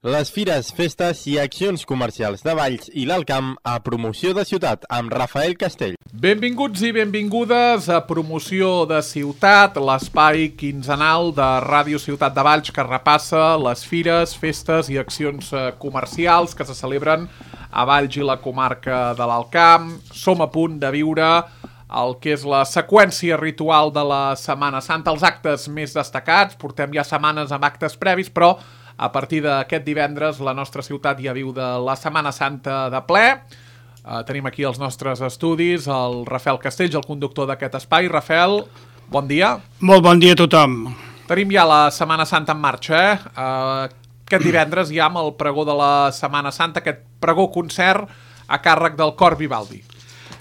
Les fires, festes i accions comercials de Valls i l'Alt Camp a Promoció de Ciutat amb Rafael Castell. Benvinguts i benvingudes a Promoció de Ciutat, l'espai quinzenal de Ràdio Ciutat de Valls que repassa les fires, festes i accions comercials que se celebren a Valls i la comarca de l'Alt Camp. Som a punt de viure el que és la seqüència ritual de la Setmana Santa, els actes més destacats. Portem ja setmanes amb actes previs, però a partir d'aquest divendres la nostra ciutat ja viu de la Setmana Santa de ple. Tenim aquí els nostres estudis, el Rafael Castells, el conductor d'aquest espai. Rafael, bon dia. Molt bon dia a tothom. Tenim ja la Setmana Santa en marxa, Aquest divendres ja amb el pregó de la Setmana Santa, aquest pregó-concert a càrrec del Cor Vivaldi.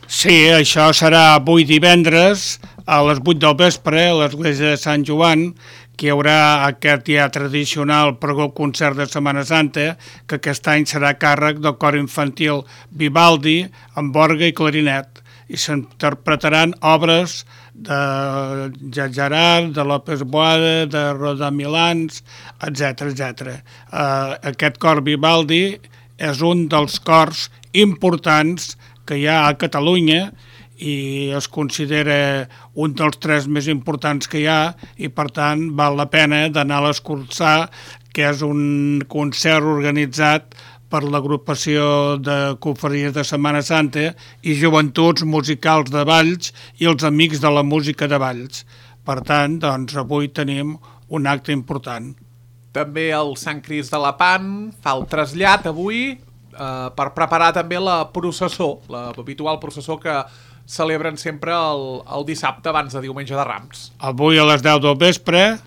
Sí, això serà avui divendres a les 8 del vespre a l'església de Sant Joan, que hi haurà aquest ja tradicional pregó-concert de Setmana Santa, que aquest any serà a càrrec del cor infantil Vivaldi amb orgue i clarinet, i s'interpretaran obres de Gerard, de López Boada, de Rodamilans, etc. Aquest cor Vivaldi és un dels cors importants que hi ha a Catalunya i es considera un dels 3 més importants que hi ha i, per tant, val la pena d'anar a l'escoltar, que és un concert organitzat per l'agrupació de confraries de Setmana Santa i joventuts musicals de Valls i els amics de la música de Valls. Per tant, doncs, avui tenim un acte important. També el Sant Crist de la Pan fa el trasllat avui per preparar també la processó, l'habitual processó que celebren sempre el dissabte abans de Diumenge de Rams. Avui a les 10 del vespre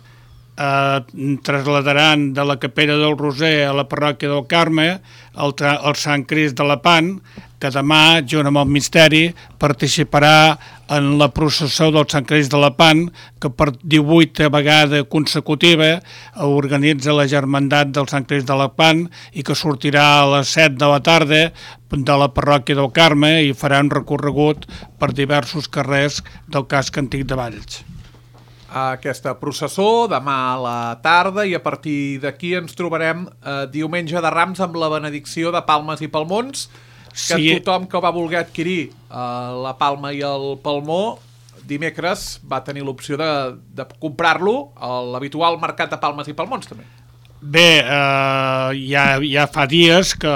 trasladaran de la Capella del Roser a la parròquia del Carme el Sant Crist de la Pan, que demà, junt amb el misteri, participarà en la processó del Sant Crist de la Pan, que per 18 vegada consecutiva organitza la Germandat del Sant Crist de la Pan i que sortirà a les 7 de la tarda de la parròquia del Carme i farà un recorregut per diversos carrers del casc antic de Valls. Aquesta processó demà a la tarda i a partir d'aquí ens trobarem Diumenge de Rams amb la benedicció de palmes i palmons, que sí. Tothom que va voler adquirir la palma i el palmó dimecres va tenir l'opció de comprar-lo a l'habitual mercat de palmes i palmons també. Bé, ja fa dies que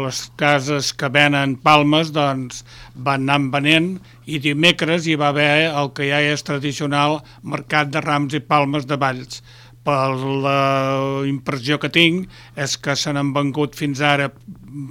les cases que venen palmes doncs, van anar venent i dimecres hi va haver el que ja és tradicional mercat de rams i palmes de Valls. Per la impressió que tinc és que se n'han vengut fins ara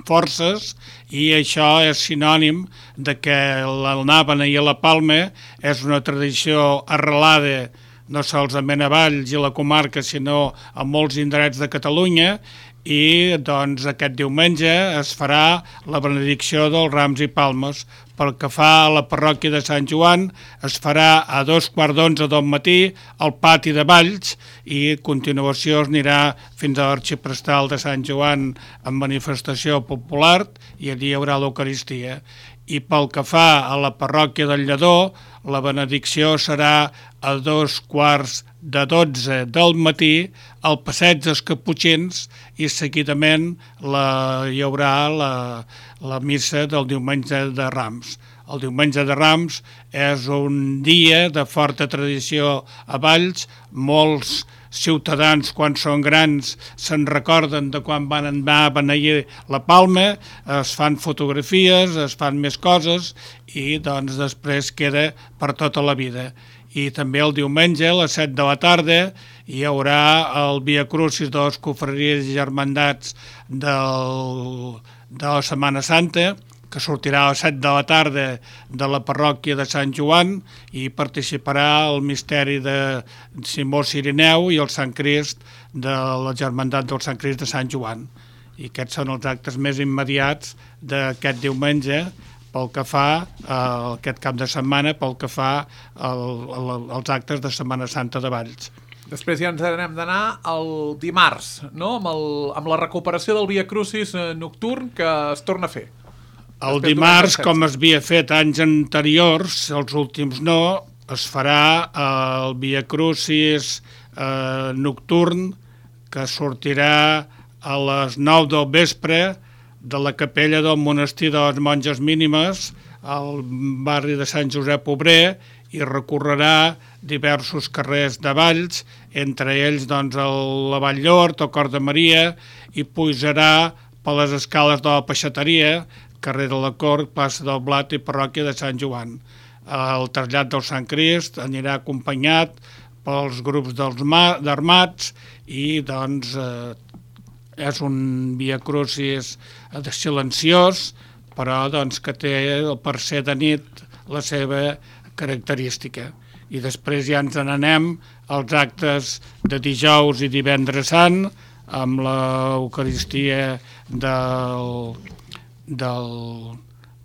forces i això és sinònim de que l'anàbana i la palma és una tradició arrelada no solament a Valls i la comarca, sinó a molts indrets de Catalunya, i doncs aquest diumenge es farà la benedicció dels rams i palmes. Pel que fa a la parròquia de Sant Joan, es farà a 2:15 del matí al pati de Valls i a continuació es anirà fins a l'arxiprestal de Sant Joan amb manifestació popular i allí hi haurà l'Eucaristia. I pel que fa a la parròquia del Lledó, la benedicció serà a 11:45 del matí al passeig dels Caputxins i seguidament hi haurà la missa del Diumenge de Rams. El Diumenge de Rams és un dia de forta tradició a Valls. Molts ciutadans, quan són grans, se'n recorden de quan van anar a beneir la palma, es fan fotografies, es fan més coses i doncs després queda per tota la vida. I també el diumenge a les 7 de la tarda hi haurà el Via Crucis de les confraries i germandats de la Setmana Santa, que sortirà a les 7 de la tarda de la parròquia de Sant Joan i participarà el misteri de Simó Cirineu i el Sant Crist de la Germandat del Sant Crist de Sant Joan. I aquests són els actes més immediats d'aquest diumenge pel que fa a aquest cap de setmana, pel que fa als actes de Setmana Santa de Valls. Després ja ens hem d'anar el dimarts, no? amb la recuperació del Via Crucis nocturn que es torna a fer. El dimarts, com es havia fet anys anteriors, els últims no, es farà el Via Crucis nocturn, que sortirà a les 9 del vespre de la capella del monestir de les Monges Mínimes al barri de Sant Josep Obrer i recorrerà diversos carrers de Valls, entre ells doncs, la Vall d'Hort, el Cor de Maria, i pujarà per les escales de la Peixateria, carrer de la Cort, plaça del Blat i parròquia de Sant Joan. El trasllat del Sant Crist anirà acompanyat pels grups d'armats i doncs és un Via Crucis silenciós, però doncs, que té per ser de nit la seva característica. I després ja ens n'anem als actes de dijous i divendres sant, amb l'Eucaristia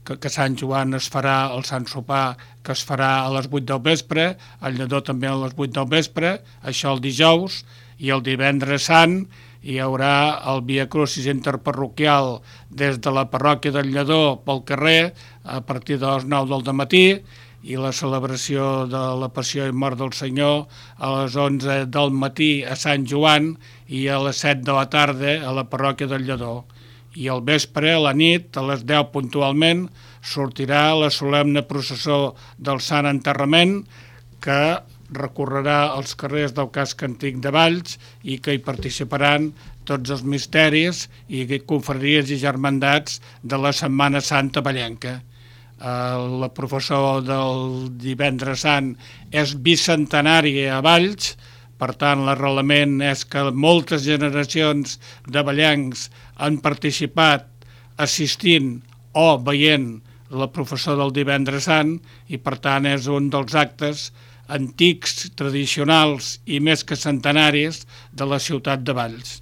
que Sant Joan es farà, el Sant Sopar, que es farà a les 8 del vespre, el Lledó també a les 8 del vespre, això el dijous, i el divendres sant hi haurà el Via Crucis interparroquial des de la parròquia del Lledó pel carrer a partir de les 9 del matí, i la celebració de la Passió i Mort del Senyor a les 11 del matí a Sant Joan i a les 7 de la tarda a la parròquia del Lledó. I al vespre, a la nit, a les 10 puntualment, sortirà la solemne processó del Sant Enterrament que recorrerà els carrers del casc antic de Valls i que hi participaran tots els misteris i confraries i germandats de la Setmana Santa vallenca. La professó del divendres sant és bicentenari a Valls, per tant l'arrelament és que moltes generacions de vallencs han participat assistint o veient la professó del divendres sant i per tant és un dels actes antics, tradicionals i més que centenaris de la ciutat de Valls.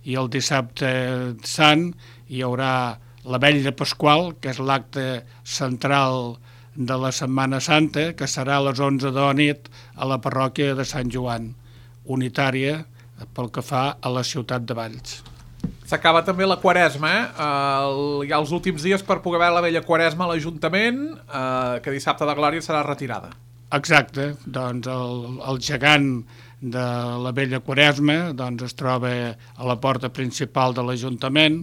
I el dissabte sant hi haurà la Vetlla Pasqual, que és l'acte central de la Setmana Santa, que serà a les 11 de la nit a la parròquia de Sant Joan, unitària pel que fa a la ciutat de Valls. S'acaba també la Quaresma, hi ha els últims dies per poder veure la vella Quaresma a l'Ajuntament, que dissabte de Glòria serà retirada. Exacte, doncs el gegant de la vella Quaresma doncs es troba a la porta principal de l'Ajuntament,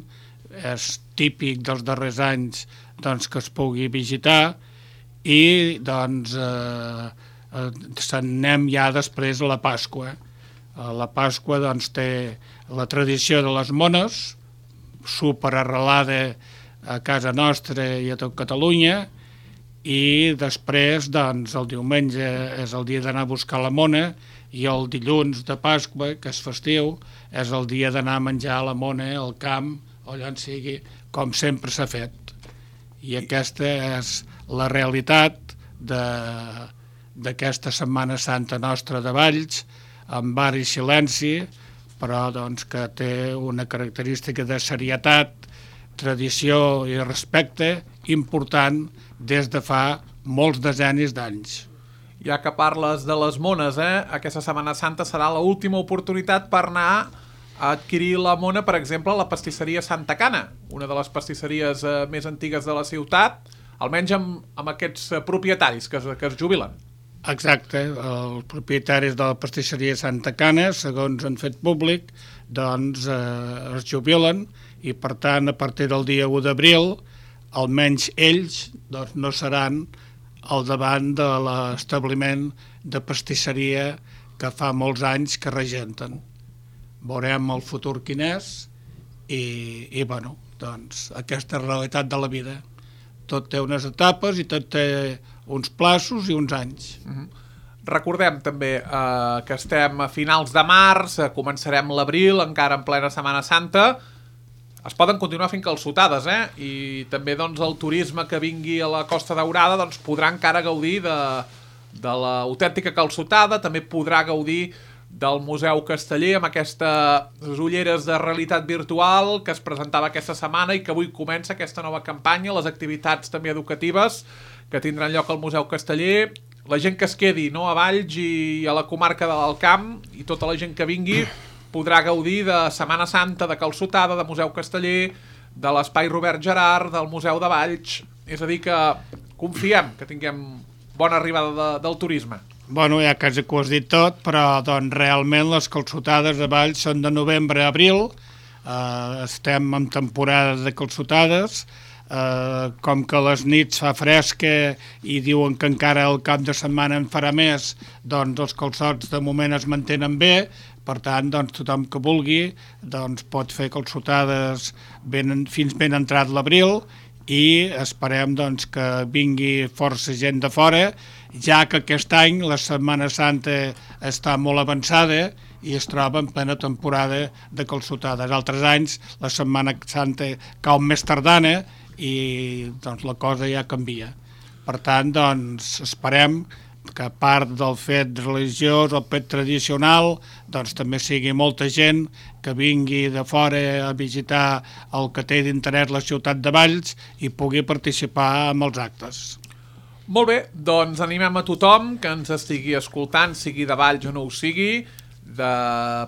és típic dels darrers anys doncs, que es pugui visitar i doncs anem ja després a la Pasqua. La Pasqua doncs, té la tradició de les mones, superarrelada a casa nostra i a tot Catalunya, i després doncs, el diumenge és el dia d'anar a buscar la mona i el dilluns de Pasqua, que és festiu, és el dia d'anar a menjar la mona al camp o allà on sigui, com sempre s'ha fet. I aquesta és la realitat d'aquesta Setmana Santa nostra de Valls, amb bar i silenci, però doncs, que té una característica de serietat, tradició i respecte important des de fa molts decennis d'anys. Ja que parles de les mones, aquesta Setmana Santa serà l'última oportunitat per anar a adquirir la mona, per exemple, a la pastisseria Santa Cana, una de les pastisseries més antigues de la ciutat, almenys amb aquests propietaris que es jubilen. Exacte, els propietaris de la pastisseria Santa Cana, segons han fet públic, doncs es jubilen i per tant a partir del dia 1 d'abril almenys ells doncs, no seran al davant de l'establiment de pastisseria que fa molts anys que regenten. Veurem el futur quin és i bueno, doncs aquesta realitat de la vida. Tot té unes etapes i tot té uns plaços i uns anys. Recordem també que estem a finals de març, començarem l'abril, encara en plena Setmana Santa. Es poden continuar fent calçotades, i també doncs, el turisme que vingui a la Costa Daurada doncs, podrà encara gaudir de l'autèntica calçotada, també podrà gaudir del Museu Casteller amb aquestes ulleres de realitat virtual que es presentava aquesta setmana i que avui comença aquesta nova campanya, les activitats també educatives que tindran lloc al Museu Casteller. La gent que es quedi a Valls i a la comarca de l'Alt Camp i tota la gent que vingui podrà gaudir de Setmana Santa, de calçotada, de Museu Casteller, de l'Espai Robert Gerard, del Museu de Valls. És a dir que confiem que tinguem bona arribada del turisme. Bueno, ja quasi que ho has dit tot, però doncs, realment les calçotades de Valls són de novembre a abril, estem en temporada de calçotades, com que a les nits fa fresca i diuen que encara el cap de setmana en farà més, doncs els calçots de moment es mantenen bé. Per tant, doncs, tothom que vulgui pot fer calçotades fins ben entrat l'abril, i esperem que vingui força gent de fora, ja que aquest any la Setmana Santa està molt avançada i es troba en plena temporada de calçotades. Altres anys la Setmana Santa cau més tardana i la cosa ja canvia. Per tant, esperem que a part del fet religiós, el fet tradicional, també sigui molta gent que vingui de fora a visitar el que té d'interès la ciutat de Valls i pugui participar en els actes. Molt bé, doncs animem a tothom que ens estigui escoltant, sigui de Valls o no ho sigui, de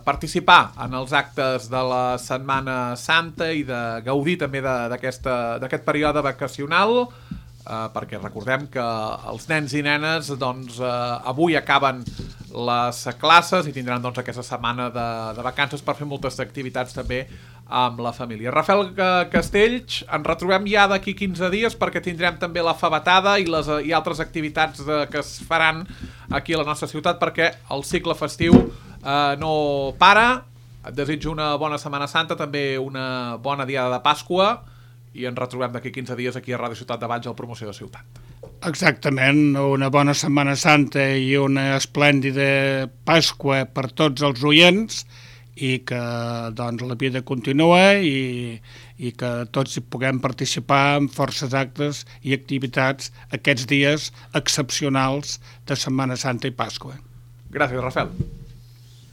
participar en els actes de la Setmana Santa i de gaudir també d'aquest període vacacional, perquè recordem que els nens i nenes avui acaben les classes i tindran aquesta setmana de vacances per fer moltes activitats també amb la família. Rafael Castells, ens retrobem ja d'aquí 15 dies perquè tindrem també la fabatada i altres activitats que es faran aquí a la nostra ciutat, perquè el cicle festiu no para. Et desitjo una bona Setmana Santa, també una bona diada de Pasqua, i ens retrobem d'aquí 15 dies aquí a Ràdio Ciutat de Valls al Promoció de Ciutat. Exactament, una bona Setmana Santa i una esplèndida Pasqua per tots els oients, i que la vida continua i que tots hi puguem participar en forces actes i activitats aquests dies excepcionals de Setmana Santa i Pasqua. Gràcies, Rafael.